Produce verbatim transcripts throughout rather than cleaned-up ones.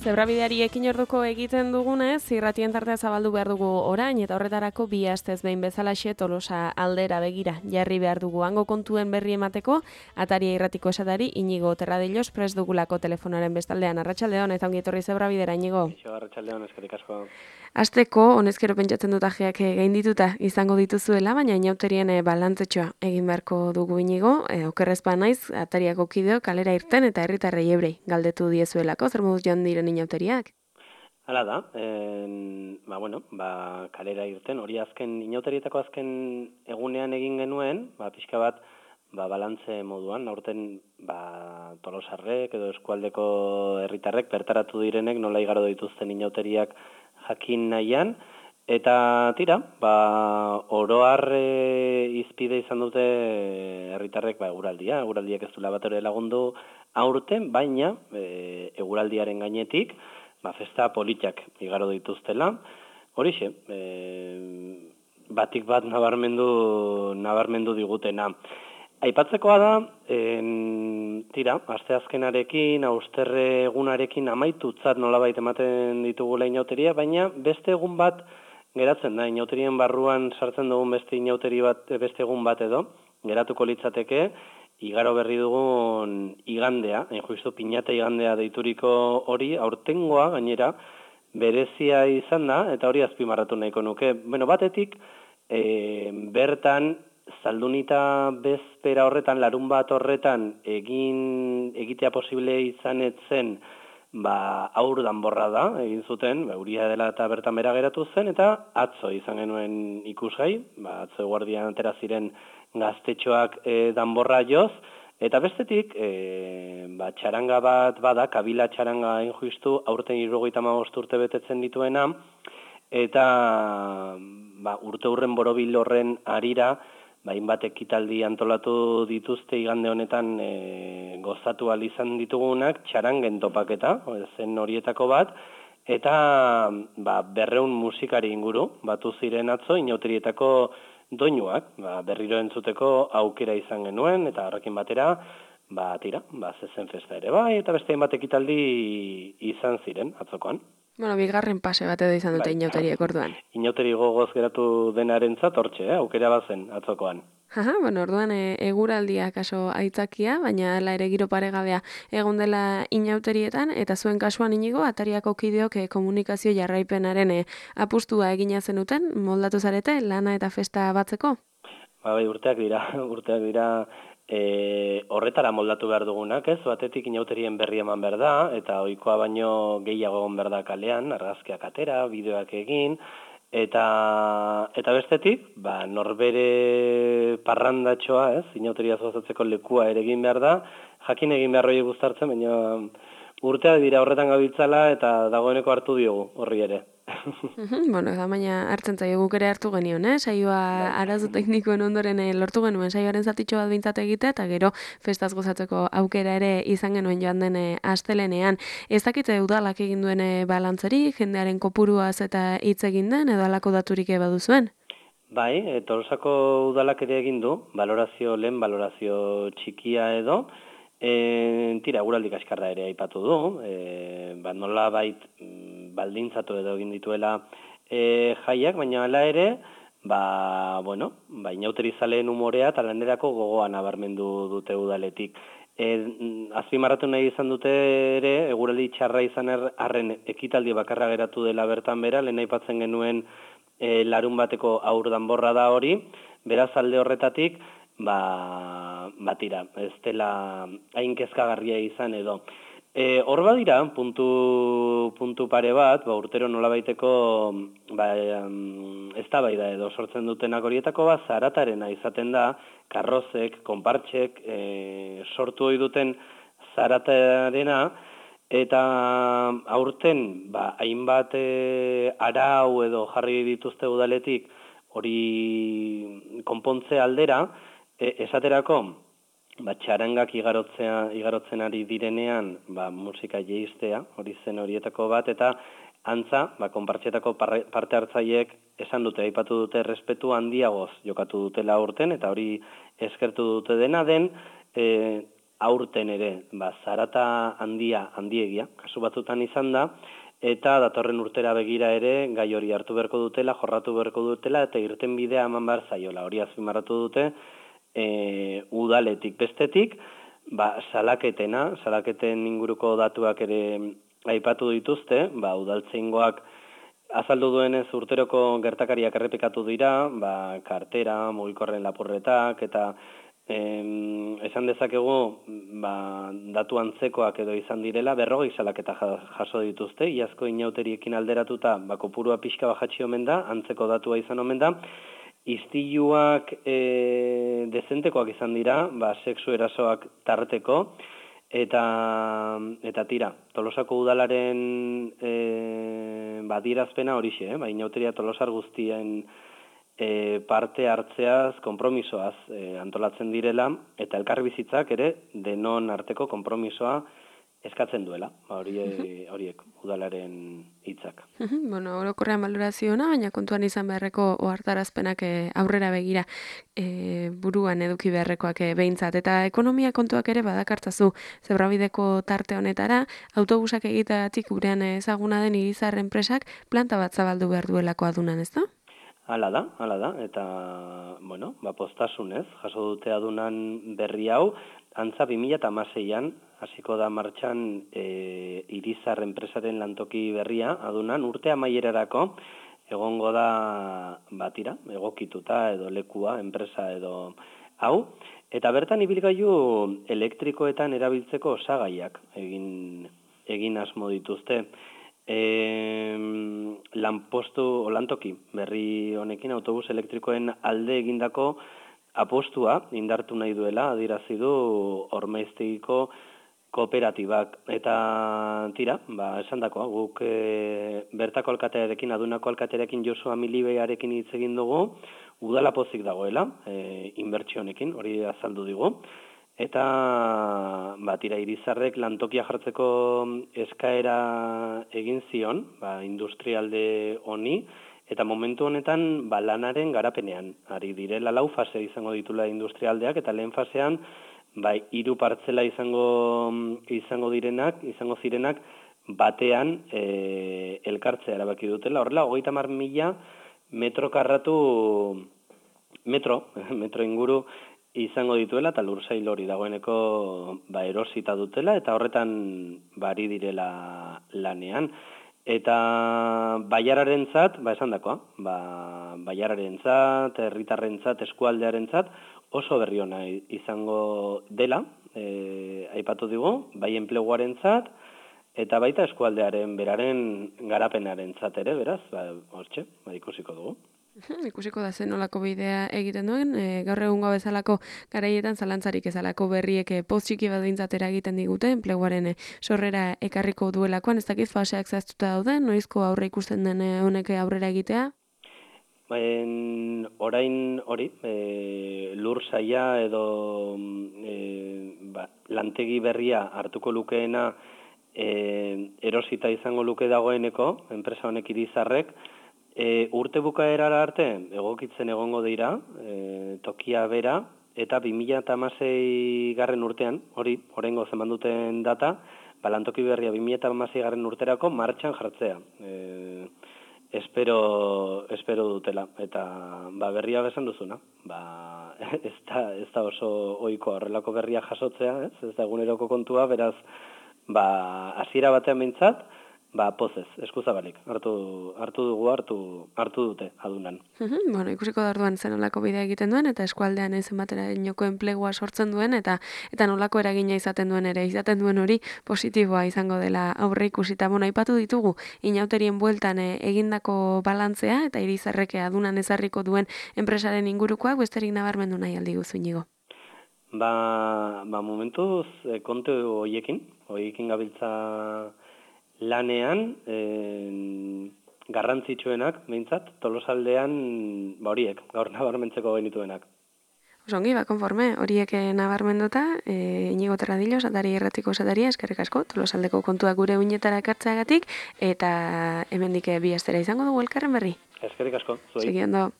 Zebrabideari ekin orduko egiten dugunez, irratien tartea zabaldu behar dugu orain, eta horretarako bi astez behin bezalaxe Tolosa aldera begira jarri behar dugu hango kontuen berri emateko, Ataria irratiko esatari Inigo Terradillos prest dugulako telefonaren bestaldean. Arratsaldeon, eta ongi etorri Zebrabidera, Inigo. Arratsaldeon, eskerrik asko. Asteko, honezkero pentsatzen dut ajeak gaindituta izango dituzuela, baina inauterien balantzetxoa egin beharko dugu Inigo, e, okerrezpa naiz, Atariako kideo kalera irten eta herritarrei ebrei galdetu diezuelako, zer moduz joan diren inauteriak? Hala da, en, ba, bueno, ba, kalera irten, hori azken, inauterietako azken egunean egin genuen, ba, pixka bat, ba, balantze moduan, aurten ba, Tolosarrek edo eskualdeko herritarrek bertaratu direnek nola igaro dituzten inauteriak jakin nahian, eta tira, ba, oroar e, izpide izan dute herritarrek ba, eguraldia, eguraldiak ez duela bat ere lagundu aurten, baina e, eguraldiaren gainetik, ba, festa politak igaro dituztela, horixe, e, batik bat nabarmendu, nabarmendu digutena. Aipatzekoa da, en, tira, asteazkenarekin, austerre egunarekin amaitutzat nolabait ematen ditugula inauteria, baina beste egun bat geratzen da, inauterien barruan sartzen dugun beste inauteri bat, beste egun bat edo, geratuko litzateke, igaro berri dugun igandea, hain justu pinata igandea deituriko hori, aurtengoa gainera, berezia izan da, eta hori azpimarratu nahiko nuke. Bueno, batetik, e, bertan, Zaldunita bezpera horretan, larun bat horretan, egin egitea posible izan etzen, ba, aur danborra da, egin zuten, ba, uria dela eta bertan bera geratu zen, eta atzo izan genuen ikusgai, ba, atzo eguardian atera ziren gaztetxoak e, danborra joz, eta bestetik, e, ba, txaranga bat bada, kabila txaranga hain justu, aurten hirurogeita hamabost urte betetzen dituena, eta ba, urte hurren borobil horren harira, hainbat ekitaldi antolatu dituzte igande honetan e, gozatu ahal izan ditugunak, txarangen topaketa, zen horietako bat, eta ba, berreun musikari inguru, batu ziren atzo, inauterietako doinuak, ba, berriro entzuteko aukera izan genuen, eta horrekin batera, ba, tira, ba, zezen festa ere bai, eta beste hainbat ekitaldi izan ziren atzokoan. Bueno, bigarren pase bat edo izan dute bai. Inauteriek orduan. Inauteri gogoz geratu denarentzat hortxe, eh? Aukera bazen atzokoan. Aha, bueno, orduan e, eguraldia kaso aitzakia, baina hala ere giro paregabea egon dela inauterietan, eta zuen kasuan Inigo, Atariako kideok e, komunikazio jarraipenaren e, apustua egina zenuten, moldatu zarete, lana eta festa batzeko? Ba, bai, urteak dira, urteak dira, E, horretara moldatu behar dugunak, ez? Batetik inauterien berri eman behar da, eta ohikoa baino gehiago egon behar da kalean, argazkiak atera, bideoak egin, eta eta bestetik, ba, norbere parrandatxoa, ez? Inauteria zoazatzeko lekua ere egin behar da, jakin egin behar hori guztartzen, baina urteak dira horretan gabiltzala, eta dagoeneko hartu diogu horri ere. Bueno, eta baina hartzen zaio guk ere hartu genion, eh? Saioa arazo teknikoen ondoren eh, lortu genuen saioaren zatitxo bat bintzat egitea, eta gero festaz gozatzeko aukera ere izan genuen joan den eh, astelenean. Ez dakite udalak egin duen eh, balantzerik, jendearen kopuruaz eta hitz egin den, edo alako daturik baduzuen? Bai, e, Tolosako udalak ere egin du, balorazio lehen, balorazio txikia edo, E, tira, eguraldi kaskarra ere aipatu du, e, ba, nola bait baldintzatu edo egin dituela e, jaiak, baina hala ere, ba, bueno, ba, inauterizaleen umorea eta lanerako gogoa nabarmendu dute udaletik. E, azpimarratu nahi izan dute ere, eguraldi txarra izan arren ekitaldi bakarra geratu dela bertan bera, lehen aipatzen genuen e, larun bateko aur danborra da hori, beraz alde horretatik, ba, batira, ez dela hain kezkagarria izan edo. E, hor badira, puntu, puntu pare bat, ba, urtero nolabaiteko ba, ez da bai da edo sortzen dutenak horietako bat, zaratarena izaten da, karrozek, konpartxek, e, sortu hori duten zaratarena, eta aurten, ba, hainbat e, arau edo jarri dituzte udaletik, hori konpontze aldera, E, esaterako, ba, txarangak igarotzea, igarotzen ari direnean ba, musika jeistea, hori zen horietako bat, eta antza, ba, konpartxetako parte hartzaileek esan dute, aipatu dute respetu handiagoz jokatu dutela urten, eta hori eskertu dute dena den, e, aurten ere, ba, zarata handia, handiegia, kasu batzutan izan da, eta datorren urtera begira ere gai hori hartu beharko dutela, jorratu beharko dutela, eta irten bidea eman behar zaiola. Hori azpimarratu dute, e, udaletik bestetik, ba, salaketena, salaketen inguruko datuak ere aipatu dituzte, ba, udaltzaingoak azaldu duenez urteroko gertakariak errepikatu dira, ba, kartera, mugikorren lapurretak, eta em, esan dezakegu ba, datu antzekoak edo izan direla, berrogei salaketa jaso dituzte, iazko inauteriekin alderatuta, ba, kopurua pixka bajatxi omen da, antzeko datua izan omen da, istiluak e, dezentekoak izan dira, ba, sexu erasoak tarteko, eta eta tira, Tolosako udalaren e, badirazpena horixe, eh? ba, inauteria Tolosar guztien e, parte hartzeaz, konpromisoaz e, antolatzen direla, eta elkarbizitzak ere denon arteko konpromisoa eskatzen duela, ba, horiek, horiek udalaren hitzak. Bueno, orokorrean balorazioa, baina kontuan izan beharreko ohartarazpenak aurrera begira e, buruan eduki beharrekoak e, behintzat. Eta ekonomia kontuak ere badakartzazu Zebrabideko tarte honetara, autobusak egiteagatik gurean ezaguna den Irizar enpresak planta bat zabaldu behar duelako adunan, ez da? Hala da, hala da, eta, bueno, ba, postasunez, jaso dute adunan berri hau, antza bi mila hamaseian hasiko da martxan e, Irizar enpresaren lantoki berria, adunan urte amaierarako egongo da batira, egokituta edo lekua, enpresa edo hau, eta bertan ibilgailu elektrikoetan erabiltzeko osagaiak egin, egin asmo dituzte. E, lanpostu o lantoki berri honekin autobus elektrikoen alde egindako apostua indartu nahi duela adierazi du Ormaiztegiko kooperatibak, eta tira, ba, esandakoa, guk e, bertako alkatearekin, adunako alkatearekin Josua Milibearekin hitz egin dugu, udala pozik dagoela, e, inbertsio honekin, hori azaldu digu, eta ba, tira, Irizarrek lantokia jartzeko eskaera egin zion, ba, industrialde honi, eta momentu honetan ba, lanaren garapenean, ari direla lau fase izango ditula industrialdeak, eta lehen fasean, bai, hiru partzela izango izango direnak, izango zirenak batean e, elkartzea erabaki dutela. Horrela, hogeita hamar mila metro karratu metro, metro inguru izango dituela, eta lursail hori dagoeneko ba, erosita dutela, eta horretan bari direla lanean. Eta baiararentzat, ba esan dakoa, ba, baiararentzat, herritarrentzat, eskualdearentzat, oso berri ona izango dela, e, aipatu digu, bai enpleguarentzat, eta baita eskualdearen beraren garapenarentzat ere, beraz, ba, hortxe, ba, ikusiko dugu. Ikusiko da zen nolako bidea egiten duen, e, gaur egungo bezalako garaietan zalantzarik ezalako berriek e, poz txiki bat behintzatera egiten digute, enpleguaren e, sorrera ekarriko duelakoan, ez dakiz faseak zehaztuta dauden, noizko aurre ikusten den e, honek aurrera egitea? En, orain hori, e, lur saia edo e, ba, lantegi berria hartuko lukeena e, erosita izango luke dagoeneko, enpresa honek Irizarrek, e, urte bukaerara arte egokitzen egongo dira, e, tokia bera, eta bi mila hamasei garren urtean, hori, oraingo zeman duten data, ba, lantoki berria bi mila hamasei garren urterako martxan jartzea. E, Espero, espero dutela, eta ba, berria besan duzuna. Ba, ez, da, ez da oso ohikoa horrelako berria jasotzea, ez, ez da eguneroko kontua, beraz, ba, hasiera batean behintzat, ba, pozez, eskuzabalik, hartu, hartu dugu, hartu, hartu dute adunan. Bueno, ikusiko da orduan zen nolako bidea egiten duen, eta eskualdean ezen batera inoko enplegua sortzen duen, eta eta nolako eragina izaten duen ere, izaten duen hori positiboa izango dela aurre ikusita. Bueno, aipatu ditugu, inauterien bueltan e, egindako balantzea, eta Irizarrek adunan ezarriko duen enpresaren ingurukoak, besterik nabarmendu nahi aldi guzu Inigo. Ba, ba momentuz, e, kontu hoiekin, hoiekin gabiltza lanean, e, garrantzitsuenak, behintzat, Tolosaldean, ba horiek, gaur nabarmentzeko genituenak. Osongi, ba, konforme, horiek nabarmenduta, e, Inigo Terradillo, Satari Erratiko Sataria, eskerrik asko, Tolosaldeko kontuak gure uinetara ekartzeagatik, eta hemendik bi astera izango dugu elkarren berri. Eskerrik asko, zuei. Segi ondo.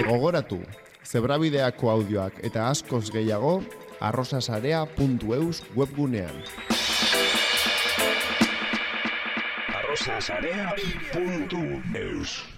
Gogoratu, zebrabideako audioak eta askoz gehiago arrosasarea puntu eus webgunean. arrosasarea puntu eus